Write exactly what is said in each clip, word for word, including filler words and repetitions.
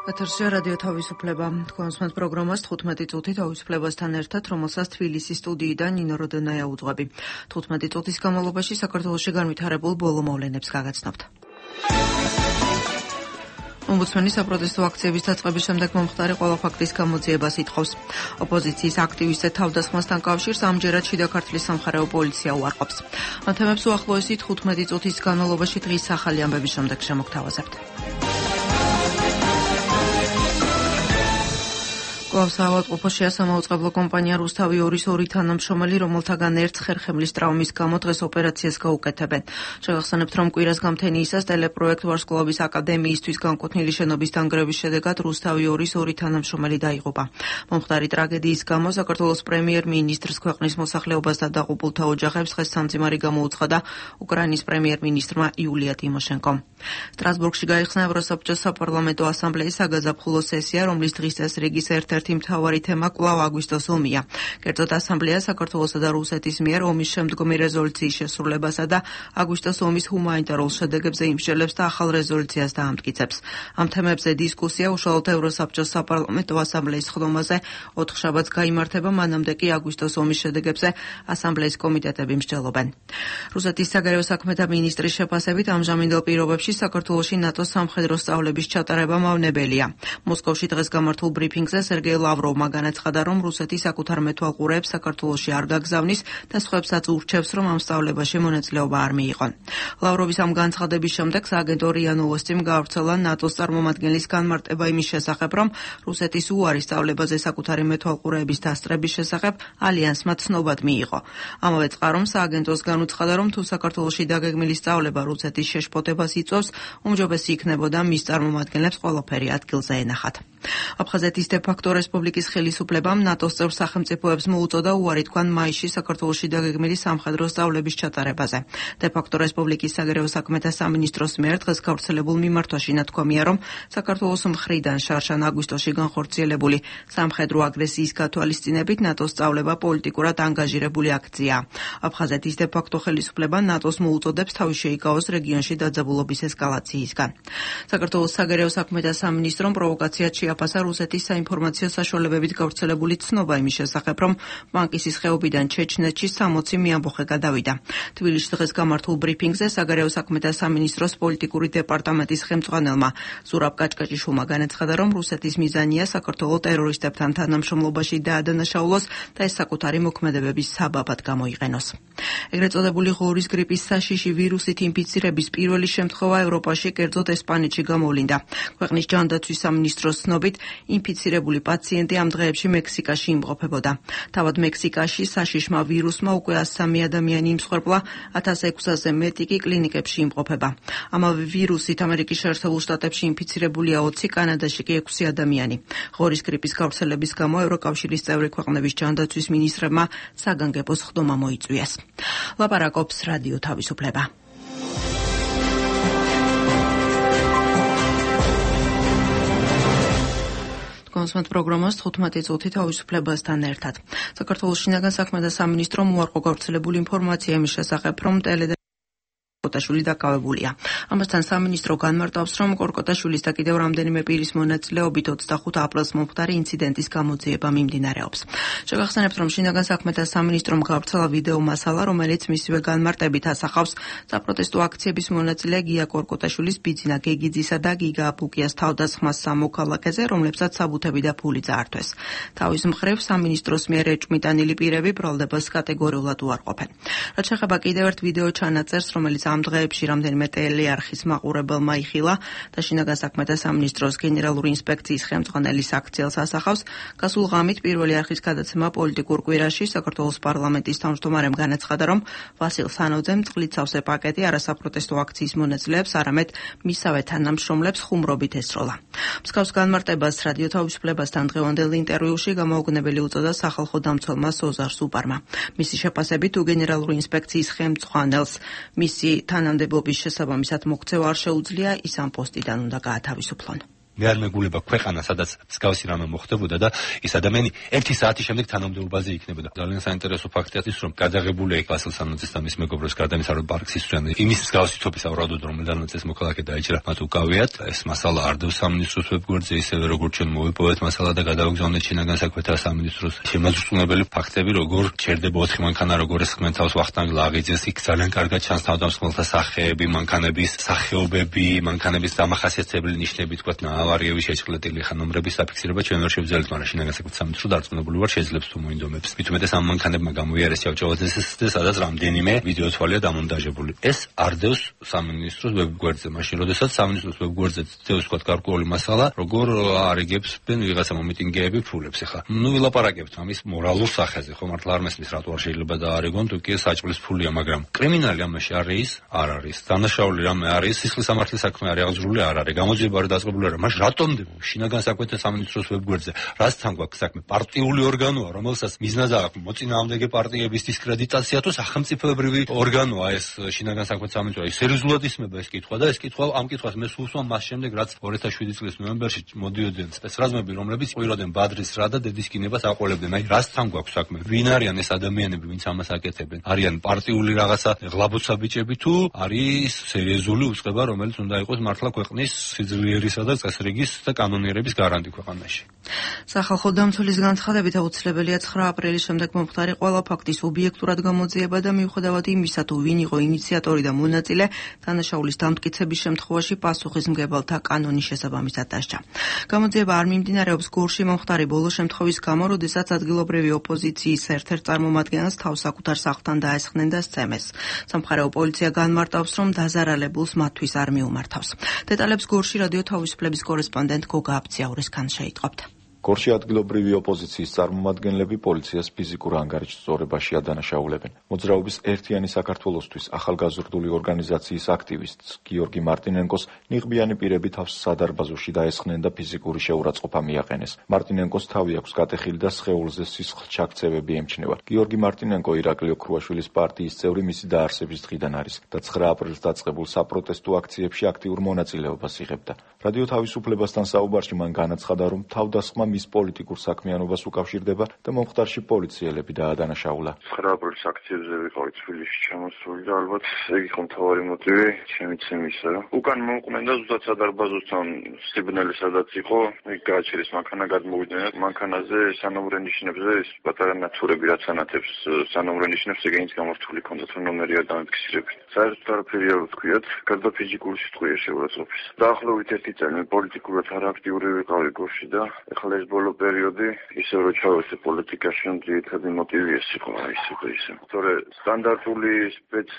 ეთერში რადიო თავისუფლება. თქვენს პროგრამას თხუთმეტი წუთი თავისუფლებასთან ერთად, რომელსაც თბილისის სტუდიიდან ნინო როდონაია უძღვები. თხუთმეტი წუთის განმავლობაში საქართველოში განვითარებულ ბოლო მოვლენებს გაგაცნობთ. ომბუდსმენი საპროტესტო აქციების დაწყების შემდეგ მომხდარი ყველა ფაქტის გამოძიებას ითხოვს. ოპოზიციის აქტივისტთა თავდასხმასთან კავშირს ამჯერად შიდა ქართლის სამხარეო პოლიცია უარყოფს. ამ თემებს უახლოესი თხუთმეტი წუთის განმავლობაში დღის ახალი ამბების შემდეგ შემოგთავაზებთ. კვლავ საავადმყოფოშია სამაუწყებლო კომპანია რუსთავი ორის ორი თანამშრომელი, რომელთაგან ერთს ხერხემლის ტრავმის გამო დღეს ოპერაციას გაუკეთებენ. შევახსენებთ, რომ კვირას გამთენიისას ტელეპროექტ ვარსკვლავის აკადემიისთვის განკუთვნილი შენობის დანგრევის შედეგად რუსთავი ორის ორი თანამშრომელი დაიღუპა. მომხდარი ტრაგედიის გამო საქართველოს პრემიერ-მინისტრს, ქვეყნის მოსახლეობას და დაღუპულთა ოჯახებს დღეს სამძიმარი გამოუცხადა უკრაინის პრემიერ-მინისტრმა იულია ტიმოშენკომ. სტრასბურგში გაიხსნა ევროსაბჭოს საპარლამენტო ასამბლეის საგაზაფხულო სესია, რომლის დღის წესრიგის ერთ-ერთი მთავარი თემა კვლავ აგვისტოს ომია. კერძოდ ასამბლეა საქართველოსა და რუსეთის მიერ ომის შემდგომი რეზოლუციის შესრულებასა და აგვისტოს ომის ჰუმანიტარულ შედეგებზე იმსჯელებს და ახალ რეზოლუციას დაამტკიცებს. ამ თემებზე დისკუსია უშუალოდ ევროსაბჭოს საპარლამენტო ასამბლეის ხდომაზე ოთხშაბათს გაიმართება, მანამდე კი აგვისტოს ომის შედეგებზე ასამბლეის კომიტეტები მსჯელობენ. რუსეთის საგარეო საქმეთა მინისტრის შეფასებით ამჟამინდელ პირობებში საქართველოში ნატოს სამხედრო სწავლების ჩატარება მავნებელია. მოსკოვში დღეს გამართულ ბრიფინგზე სერგეი ლავროვმა განაცხადა, რომ რუსეთი საკუთარ მეთვალყურეებს საქართველოში არ გაგზავნის და სხვებსაც ურჩევს, რომ ამ სწავლებაში მონაწილეობა არ მიიღონ. ლავროვის ამ განცხადების შემდეგ სააგენტო რია ნოვოსტიმ გაავრცელა ნატოს წარმომადგენლის განმარტება იმის შესახებ, რომ რუსეთის უარი სწავლებაზე საკუთარი მეთვალყურეების დასწრების შესახებ ალიანსმა ცნობად მიიღო. ამავე წყარომ სააგენტოს განუცხადა, რომ თუ საქართველოში დაგეგმილი სწავლება რუსეთის შეშფოთებას იწვევს, უმჯობესი იქნებოდა მის წარმომადგენლებს ყველაფერი ადგილზე ენახათ. აფხაზეთის დე-ფაქტო რესპუბლიკის ხელისუფლებამ ნატოს წევრ სახელმწიფოებს მოუწოდა უარი თქვან მაისში საქართველოში დაგეგმილი სამხედრო სწავლების ჩატარებაზე. დე-ფაქტო რესპუბლიკის საგარეო საქმეთა სამინისტროს მიერ დღეს გავრცელებულ მიმართვაში ნათქვამია, რომ საქართველოს მხრიდან შარშან აგვისტოში განხორციელებული სამხედრო აგრესიის გათვალისწინებით ნატოს სწავლება პოლიტიკურად ანგაჟირებული აქციაა. აფხაზეთის დე-ფაქტო ხელისუფლება ნატოს მოუწოდებს თავი შეიკავოს რეგიონში დაძაბულობის ესკალაციისგან. საქართველოს საგარეო საქმეთა სამინისტრომ პროვოკაციად შეაფასა რუსეთის საინფორმაციო საშუალებებით გავრცელებული ცნობა იმის შესახებ, რომ ბანკისის ხეობიდან ჩეჩნეთში სამოცი მეამბოხე გადავიდა. თბილისში დღეს გამართულ ბრიფინგზე საგარეო საქმეთა სამინისტროს პოლიტიკური დეპარტამენტის ხელმძღვანელმა ზურაბ კაჭკაჭიშვილმა განაცხადა, რომ რუსეთის მიზანია საქართველოს ტერორისტებთან თანამშრომლობაში დაადანაშაულოს და ეს საკუთარი მოქმედებების საბაბად გამოიყენოს. ეგრეთ წოდებული ღორის გრიპის საშიში ვირუსით ინფიცირების პირველი შემთხვევა ევროპაში, კერძოდ ესპანეთში გამოვლინდა. ქვეყნის ჯანდაცვის სამინისტროს ცნობით, ინფიცირებული პაციენტი ამ დღეებში მექსიკაში იმყოფებოდა. თავად მექსიკაში საშიშმა ვირუსმა უკვე ათს სამი ადამიანი იმსხვერპლა, ათას ექვსზე მეტი კი კლინიკებში იმყოფება. ამავე ვირუსით ამერიკის შეერთებულ შტატებში ინფიცირებულია ოცი, კანადაში კი ექვსი ადამიანი. ღორის გრიპის გავრცელების გამო ევროკავშირის წევრი ქვეყნების ჯანდაცვის მინისტრებმა საგანგებოს ხდომა მოიწვიეს. ლაპარაკობს რადიო თავისუფლება. კონსმეთ პროგრამას თხუთმეტი წუთი თავისუფლებასთან ერთად. საქართველოს შინაგან საქმეთა სამინისტრომ უარყო გავრცელებული ინფორმაცია იმის შესახებ, რომ ტელე კორკოტაშვილი დაკავებულია. ამასთან სამინისტრო განმარტავს, რომ კორკოტაშვილის და კიდევ რამდენიმე პირის მონაწილეობით ოცდახუთ აპრილს მომხდარი ინციდენტის გამოძიება მიმდინარეობს. შევახსენებთ, რომ შინაგან საქმეთა სამინისტრომ გავრცელა ვიდეო მასალა, რომელიც მისივე განმარტებით ასახავს საპროტესტო აქციების მონაწილე გია კორკოტაშვილის, ბიძინა გეგიძისა და გიგა აფუკიას თავდასხმას სამოქალაქეზე, რომლებსაც საბუთები და ფული წაართვეს. თავის მხრივ სამინისტროს მიერ ეჭვმიტანილი პირები ბრალდებას კატეგორიულად უარყოფენ. რაც შეეხება კიდევ ერთ ვიდეო ჩანაწერს, რომელიც ამ დღეებში რამდენიმე ტელეარხის მაყურებელმა იხილა და შინაგან საქმეთა სამინისტროს გენერალური ინსპექციის ხელმძღვანელის აქციელს ასახავს, გასულ ღამით პირველი არხის გადაცემა პოლიტიკურ კვირაში საქართველოს პარლამენტის თავმჯდომარემ განაცხადა, რომ ვასილ სანოძემ წყლით სავსე პაკეტი არასაპროტესტო აქციის მონაწილეებს, არამედ მისავე თანამშრომლებს ხუმრობით ესროლა. მსგავს განმარტებას რადიო თავისუფლებასთან დღევანდელ ინტერვიუში გამოუგნებელი უწოდა სახალხო დამცველმა სოზარ სუპარმა. მისი შეფასებით, თუ გენერალური ინსპექციის ხელმძღვანელს მისი თანამდებობის შესაბამისად მოქცევა არ შეუძლია, ის ამ პოსტიდან უნდა გაათავისუფლონ. მე არ მეგულება ქვეყანა, სადაც მსგავსი რამე მოხდებოდა და ის ადამიანი ერთი საათის შემდეგ თანამდებობაზე იქნებოდა. ძალიან საინტერესო ფაქტია ის, რომ გადაღებულია იქ ვასილ სანოძეს და მის მეგობრებს გარდამისა, რომ პარკს ისწრებენ. იმის მსგავსი თოფის ავრადოდ რომ დანაწეს მოქალაქე დაიჭრა, მათ უკავიათ. ეს მასალა არ დევს სამინისტროს ვებგვერდზე, ისევე როგორც ჩვენ მოვიპოვეთ მასალა და გადავაგზავნეთ შინაგან საქმეთა სამინისტროს. შემოწმებული ფაქტები, როგორ ჩერდება ოთხი მანქანა, როგორ ესხმენ თავს ვახტანგ ლაღიძეს, იქ ძალიან კარგად ჩანს თავდამსხმელთა სახეები, მანქანების სახეობები, მანქანების დამახასიათებელი ნიშნები, თქვათ ნაავარიების შეჭრილებული ხანომრების საფიქსირება ჩვენ ვერ შევძლებთ, მაგრამ შინაგან საქმეთა სამინისტრო დარწმუნებული ვარ შეძლებს თუ მოინდომებს. მით უმეტეს ამ მანქანებმა გამოიარეს ჭავჭავაძეს და სადაც რამდენიმე ვიდეო თვალია დამონტაჟებული. ეს არ დევს სამინისტროს ვებგვერდზე, მაშინ როდესაც სამინისტროს ვებგვერდზე დევს თქვათ გარკვეული მასალა, როგორ არიგებს ვიღაცა მომიტინგეები ფულებს. ეხლა ნუ ვილაპარაკებთ ამის მორალურ სახეზე, ხო მართლა არ მესმის რატო არ შეიძლება დაარიგონ, თუ კი საჭმლის ფულია, მაგრამ კრიმინალი ამაში არის, არ არის. დანაშაული რამე არის, სისხლის სამართლის საქმე არის, აღძრული არ არის. გამოძიება არ დაწყებული არა. მაშ რატომ შინაგან საქმეთა სამინისტროს ვებგვერდზე რაც თან გვაქვს საქმე პარტიული ორგანოა, რომელსაც მიზნად აქვს მოწინააღმდეგე პარტიების დისკრედიტაცია თუ სახელმწიფოებრივი ორგანოა ეს შინაგან საქმეთა სამინისტრო. ის სერიოზულად ისმება ეს კითხვა და ეს კითხვა ამ კითხვას მე სულ ვსვამ მას შემდეგ, რაც ორი ათას შვიდი წლის ნოემბერში მოდიოდნენ სპეცრაზმები, რომლებიც ყვიროდნენ ბადრის რა და დედის კინებას აყოლებდნენ. აი რას თან გვაქვს საქმე? ვინ არიან ეს ადამიანები, ვინც ამას აკეთებენ? არიან პარტიული რაღაცა ღლაბუცა ბიჭები თუ არის სერიოზული უწყება, რომელიც უნდა იყოს მართლა ქვეყნის სიძლიერისა და წესრიგის და კანონიერების გარანტი ქვეყანაში. სახალხო დამცველის განცხადებით აუცილებელია ცხრა აპრილის შემდეგ მომხდარი ყველა ფაქტის ობიექტურად გამოძიება და მიუხედავად იმისა, თუ ვინ იყო ინიციატორი და მონაწილე, დანაშაულის დამტკიცების შემთხვევაში პასუხისმგებელთა კანონის შესაბამისად დასჯა. გამოძიება არ მიმდინარეობს გორში მომხდარი ბოლო შემთხვევის გამო, როდესაც ადგილობრივი ოპოზიციის ერთ-ერთ წარმომადგენელს თავს საკუთარ სახლთან დაესხნენ და სცემეს. სამხარეო პოლიცია განმარტავს, რომ დაზარალებულს მათთვის არ მიუმართავს. დეტალებს გორში რადიო თავისუფლების კორესპონდენტ გოგა აბციაურისგან შეიტყობთ. გორში ადგილობრივი ოპოზიციის წარმომადგენლები პოლიციას ფიზიკურ ანგარიშს სწორებაში ადანაშაულებენ. მოძრაობის ერთიანი საქართველოსთვის ახალგაზრდული ორგანიზაციის აქტივისტს გიორგი მარტინენკოს ნიღბიანი პირები თავს სადარბაზოში დაესხნენ და ფიზიკური შეურაცხყოფა მიაყენეს. მარტინენკოს თავი აქვს გატეხილი და სხეულზე სისხლჩაქცევები ემჩნევა. გიორგი მარტინენკო ირაკლი ოქრუაშვილის პარტიის წევრი მისი დაარსების დღიდან არის და ცხრა აპრილს დაწყებულ საპროტესტო აქციებში აქტიურ მონაწილეობას იღებდა. რადიო თავისუფლებასთან საუბარში მან განაცხადა, რომ თავდასხმა მის პოლიტიკურ საქმიანობას უკავშირდება და მომხდარში პოლიციელები დაადანაშაულა. ცხრა აპრილის აქციებზე ვიყავი თბილისში ჩამოსული და ალბათ ეგ იყო მთავარი მოტივი შემიცემისა, რომ უკან მომყვნენ და ზუსტად სადარბაზოსთან სიბნელი სადაც იყო, იქ გააჩერეს მანქანა, გადმოვიდნენ და მანქანაზე სანომრე ნიშნებზე ეს პატარა ნათურები რაც ანათებს სანომრე ნიშნებს ეგენიც გამართული ჰქონდათ, რომ ნომერი არ დამტკიცებენ. საერთოდ არაფერი არ ვთქვიათ, გარდა ფიზიკური სიტყვია შეურაცხყოფის. დაახლოებით ერთი წელი პოლიტიკურად არააქტიური ვიყავი გორში და ეხლა ეს ბოლო პერიოდი ისე რომ ჩავეცე პოლიტიკაში, ძირითადი მოტივი ეს იყო ისე ისე. თორე სტანდარტული სპეც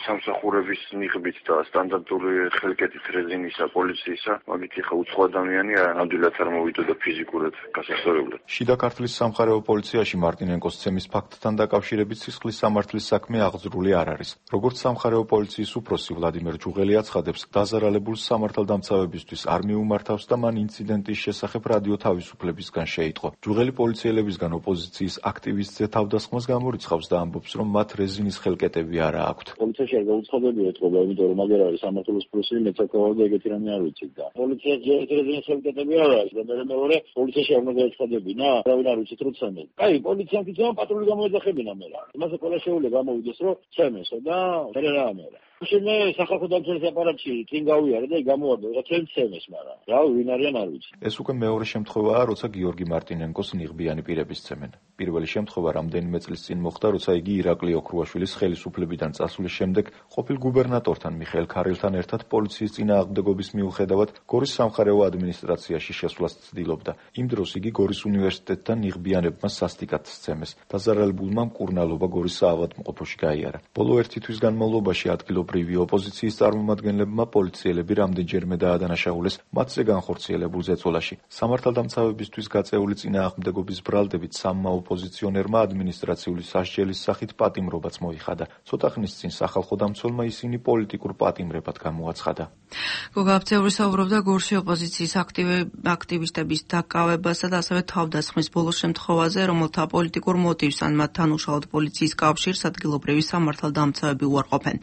სამსახურების ნიღბით და სტანდარტული ხელკეთით რეზინისა პოლიციისა, მაგით ხა უცხო ადამიანი ნამდვილად არ მოვიდოდა ფიზიკურად გასასწორებლად. შიდა ქართლის სამხარეო პოლიციაში მარტინენკოს ცემის ფაქტთან დაკავშირებით სისხლის სამართლის საქმე აღძრული არ არის. როგორც სამხარეო პოლიციის უფროსი ვლადიმერ ჯუღელი აცხადებს, დაზარალებულს სამართალდამცავებისთვის არ მიუმართავს და მან ინციდენტის შესახებ რადიო თავისუფლებისგან შეიტყო. ჯუღელი პოლიციელებისგან ოპოზიციის აქტივისტზე თავდასხმას გამორიცხავს და ამბობს, რომ მათ რეზინის ხელკეტები არა აქვთ. პოლიციაში არ გაუცხოდებია ეთყობა, იმიტომ რომ აგერ არის სამართლის პროცესი, მეც აკავავდა ეგეთი რამე არ ვიცით და. პოლიციაში რეზინის ხელკეტები არა აქვს და მე მეორე პოლიციაში არ უნდა გაეცხადებინა, არავინ არ ვიცით რომ ცემენ. აი, პოლიციამ თვითონ პატრული გამოეძახებინა მე რა. იმასე ყველა შეუძლია გამოვიდეს, რომ ცემესო და მე რა ამერა. მე სახალხო დამცველის აპარატში წინ გავიარე და გამოვარდა, რა თქმა ცემეს, მაგრამ რა ვინ არიან არ ვიცი. ეს უკვე მეორე შემთხვევაა, როცა გიორგი მარტინენკოს ნიღბიანი პირები სცემენ. პირველი შემთხვევა რამდენიმე წლის წინ მოხდა, როცა იგი ირაკლი ოქრუაშვილის ხელისუფლებიდან წასვლის შემდეგ ყოფილ გუბერნატორთან მიხეილ ქარელთან ერთად პოლიციის წინააღმდეგობის მიუხედავად გორის სამხარეო ადმინისტრაციაში შესვლას ცდილობდა. იმ დროს იგი გორის უნივერსიტეტთან ნიღბიანებმა სასტიკად სცემეს. დაზარალებულმა მკურნალობა გორის საავადმყოფოში გაიარა. ბოლო ერთი თვის განმავლობაში ადგილობრივი ოპოზიციის წარმომადგენლებმა პოლიციელები რამდენჯერმე დაადანაშაულეს მათზე განხორციელებულ ზეწოლაში. სამართალდამცავებისთვის გაწეული წინააღმდეგობის ბრალდებით სამმა ოპოზიციონერმა ადმინისტრაციული სასჯელის სახით პატიმრობაც მოიხადა. ცოტა ხნის წინ სახალხო დამცველმა ისინი პოლიტიკურ პატიმრებად გამოაცხადა. გოგა აბციაური საუბრობდა გორში ოპოზიციის აქტივისტების დაკავებასა და ასევე თავდასხმის ბოლო შემთხვევაზე, რომელთა პოლიტიკურ მოტივს ან მათთან უშუალოდ პოლიციის კავშირს ადგილობრივი სამართალდამცავები უარყოფენ.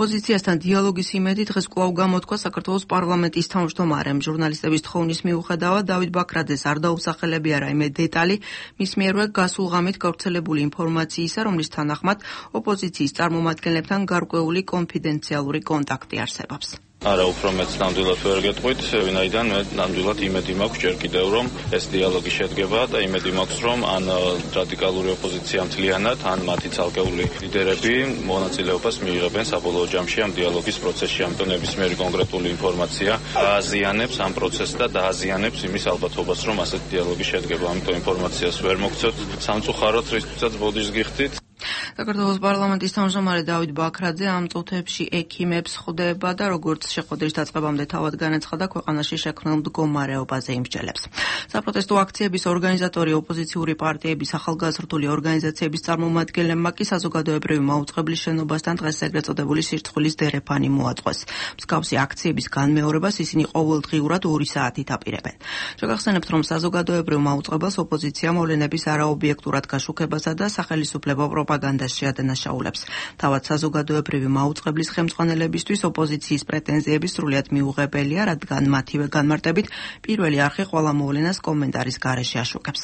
ოპოზიციასთან დიალოგის იმედი დღეს კვლავ გამოთქვა საქართველოს პარლამენტის თავმჯდომარემ. ჟურნალისტების თხოვნის მიუხედავად დავით ბაქრაძეს არ დაუსახელებია რაიმე დეტალი, მის მიერვე გასულ ღამით გავრცელებული ინფორმაციისა, რომლის თანახმად ოპოზიციის წარმომადგენლებთან გარკვეული კონფიდენციალური კონტაქტი არსებობს. არა, უფრო მეც ნამდვილად ვერ გეტყვით, ვინაიდან მე ნამდვილად იმედი მაქვს ჯერ კიდევ, რომ ეს დიალოგი შედგება და იმედი მაქვს, რომ ან რადიკალური ოპოზიცია მთლიანად, ან მათი ცალკეული ლიდერები მონაწილეობას მიიღებენ საბოლოო ჯამში ამ დიალოგის პროცესში. ამიტომ ნებისმიერი კონკრეტული ინფორმაცია ააზიანებს ამ პროცესს და დააზიანებს იმის ალბათობას, რომ ასეთი დიალოგი შედგება. ამიტომ ინფორმაციას ვერ მოგცემთ სამწუხაროდ, რისთვისაც ბოდიშს გიხდით. საქართველოს პარლამენტის თავმჯდომარე დავით ბაქრაძე ამ წუთებში ექიმებს ხვდება და როგორც შეხვედრის დაწყებამდე თავად განაცხადა, ქვეყანაში შექმნილ მდგომარეობაზე იმსჯელებს. საპროტესტო აქციების ორგანიზატორი ოპოზიციური პარტიების ახალგაზრდული ორგანიზაციების წარმომადგენლებმა კი საზოგადოებრივი მაუწყებლის შენობასთან დღეს ეგრეთ წოდებული სირცხვილის დერეფანი მოაწყვეს. მსგავსი აქციების განმეორებას ისინი ყოველდღიურად ორი საათით აპირებენ. შეგახსენებთ, რომ საზოგადოებრივ მაუწყებელს ოპოზიცია მოვლენების არაობიექტურად გაშუქებასა და სახელისუფლებო პროპაგანდას შეადანაშაულებს. თავად საზოგადოებრივი მაუწყებლის ხელმძღვანელებისთვის ოპოზიციის პრეტენზიები სრულიად მიუღებელია, რადგან მათივე განმარტებით პირველი არხი ყველა მოვლენას კომენტარის გარეშე აშუქებს.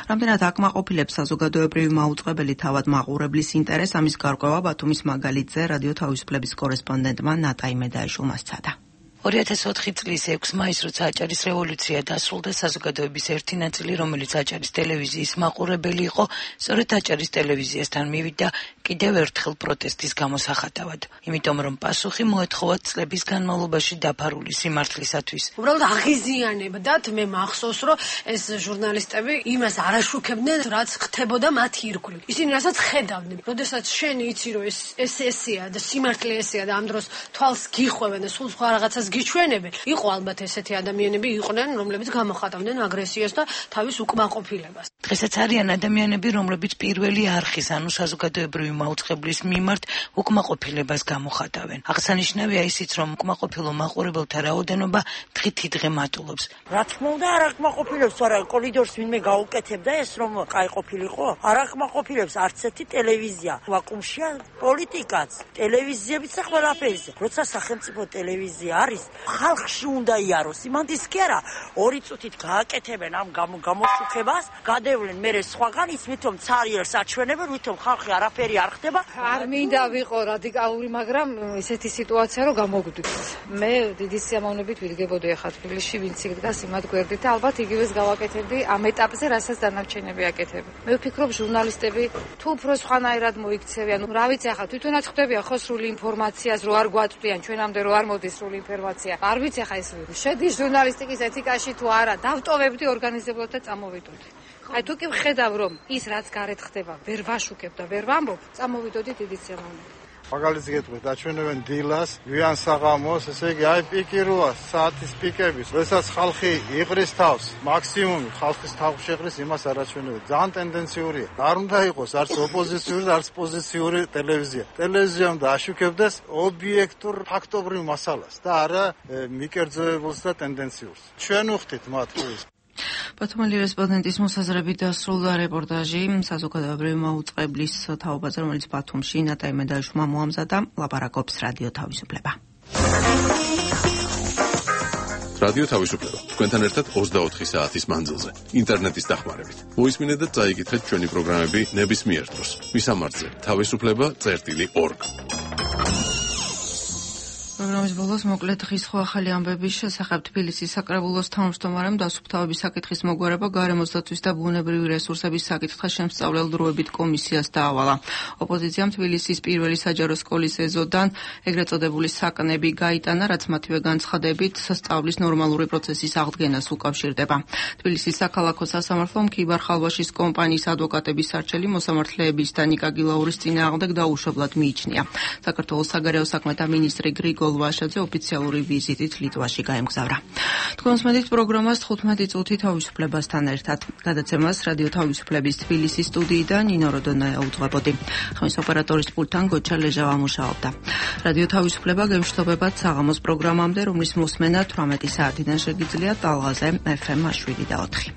რამდენად აკმაყოფილებს საზოგადოებრივი მაუწყებელი თავად მაყურებლის ინტერესს, ამის გარკვევა ბათუმის მაგალითზე რადიო თავისუფლების კორესპონდენტმა ნატაი მედაიშვილმა სცადა. ორი ათას ოთხი წლის ექვსი მაისს, როცა აჭარის რევოლუცია დასრულდა, საზოგადოების ერთი ნაწილი, რომელიც აჭარის ტელევიზიის მაყურებელი იყო, სწორედ აჭარის ტელევიზიასთან მივიდა კიდევ ერთხელ პროტესტის გამოსახატავად. იმიტომ რომ პასუხი მოეთხოვათ წლების განმავლობაში დაფარული სიმართლისათვის. უბრალოდ აღიზიანებდათ, მე მახსოვს, რომ ეს ჟურნალისტები იმას არ აშუქებდნენ, რაც ხდებოდა მათი ირგვლივ. ისინი რასაც ხედავდნენ. როდესაც შენ იცი, რომ ეს ეს ესეა და სიმართლე ესეა და ამ დროს თვალს გიხვევენ და სულ სხვა რაღაცას გიჩვენებენ. იყო ალბათ ესეთი ადამიანები იყვნენ, რომლებიც გამოხატავდნენ აგრესიას და თავის უკმაყოფილებას. დღესაც არიან ადამიანები, რომლებიც პირველი არხის, ანუ საზოგადოებრივი მაუწყებლის მიმართ უკმაყოფილებას გამოხატავენ. აღსანიშნავია ისიც, რომ უკმაყოფილო მაყურებელთა რაოდენობა დღითიდღე მატულობს. რა თქმა უნდა, არ აკმაყოფილებს, არა კორიდორს ვინმე გაუკეთებდა ეს, რომ კაი ყოფილიყო? არ აკმაყოფილებს არც ერთი ტელევიზია. ვაკუუმშია პოლიტიკაც, ტელევიზიებიც და ყველაფერი. როცა სახელმწიფო ტელევიზია არის, ხალხში უნდა იაროს. იმანდის კი არა, ორი წუთით გააკეთებენ ამ გამოსუქებას, გადევლენ მერე სხვაგან, ის ვითომ ცარიელს აჩვენებენ, ვითომ ხალხი არაფერი არ ხდება. არ მინდა ვიყო რადიკალური, მაგრამ ესეთი სიტუაცია რომ გამოგვდით. მე დიდი სიამოვნებით ვიდგებოდი ახლა თბილისში, ვინც იდგას იმად გვერდით და ალბათ იგივეს გავაკეთებდი ამ ეტაპზე, რასაც დანარჩენები აკეთებენ. მე ვფიქრობ, ჟურნალისტები თუ უფრო სხვანაირად მოიქცევიან, რა ვიცი ახლა თვითონაც ხდებიან ხო სრული ინფორმაციას, რო არ გვაწვდიან ჩვენამდე, რო არ მოდის სრული ინფორმაცია. არ ვიცი ახლა ეს შედის ჟურნალისტიკის ეთიკაში თუ არა, დავტოვებდი ორგანიზებლად და წამოვიდოდი. აი თუ კი ვხედავ, რომ ის რაც გარეთ ხდება, ვერ ვაშუქებ და ვერ ვამბობ, წამოვიდოდი დიდი სიამოვნებით. მაგალითს გეტყვით, აჩვენებენ დილას, ვიან საღამოს, ესე იგი, აი პიკი როა, საათის პიკების, როდესაც ხალხი იყრის თავს, მაქსიმუმი ხალხის თავს შეყრის, იმას არ აჩვენებენ. ძალიან ტენდენციურია. არ უნდა იყოს არც ოპოზიციური, არც პოზიციური ტელევიზია. ტელევიზია უნდა აშუქებდეს ობიექტურ ფაქტობრივ მასალას და არა მიკერძოებულს და ტენდენციურს. ჩვენ ვხდით მათ ეს ბათუმელი რესპონდენტის მოსაზრებით დასრულდა რეპორტაჟი საზოგადოებრივი მაუწყებლის თაობაზე, რომელიც ბათუმში ნატაი მედაიშვილმა მოამზადა. ლაპარაკობს რადიო თავისუფლება. რადიო თავისუფლება. თქვენთან ერთად ოცდაოთხი საათის მანძილზე. ინტერნეტის დახმარებით. მოისმინეთ და წაიკითხეთ ჩვენი პროგრამები ნებისმიერ დროს. მისამართზე თავისუფლება წერტილი ორგ. პროგრამის ბოლოს მოკლედ დღის ხო ახალი ამბების შესახებ თბილისის საკრებულოს თავმჯდომარემ დასუფთავების საკითხის მოგვარება გარემოს დაცვის და ბუნებრივი რესურსების საკითხთა შემსწავლელ დროებით კომისიას დაავალა. ოპოზიციამ თბილისის პირველი საჯარო სკოლის ეზოდან ეგრეთ წოდებული საკნები გაიტანა, რაც მათივე განცხადებით სწავლის ნორმალური პროცესის აღდგენას უკავშირდება. თბილისის საქალაქო სასამართლომ ქიბარ-ხალვაშის კომპანიის ადვოკატების სარჩელი მოსამართლეების და ნიკა გილაურის წინააღმდეგ დაუშვებლად მიიჩნია. საქართველოს საგარეო საქმეთა მინისტრი გრიგოლ ვაშაძე ოფიციალური ვიზიტით ლიტვაში გაემგზავრა. თქვენს მედით პროგრამას თხუთმეტი წუთი თავისუფლებასთან ერთად. გადაცემას რადიო თავისუფლების თბილისის სტუდიიდან ნინო როდონაია უძღვებოდი. ხმის ოპერატორის პულტთან გოჩა ლეჟავა მუშაობდა. რადიო თავისუფლება გემშვიდობებად საღამოს პროგრამამდე, რომლის მოსმენა თვრამეტი საათიდან შეგიძლიათ ტალღაზე ეფ ემ შვიდი და ოთხი.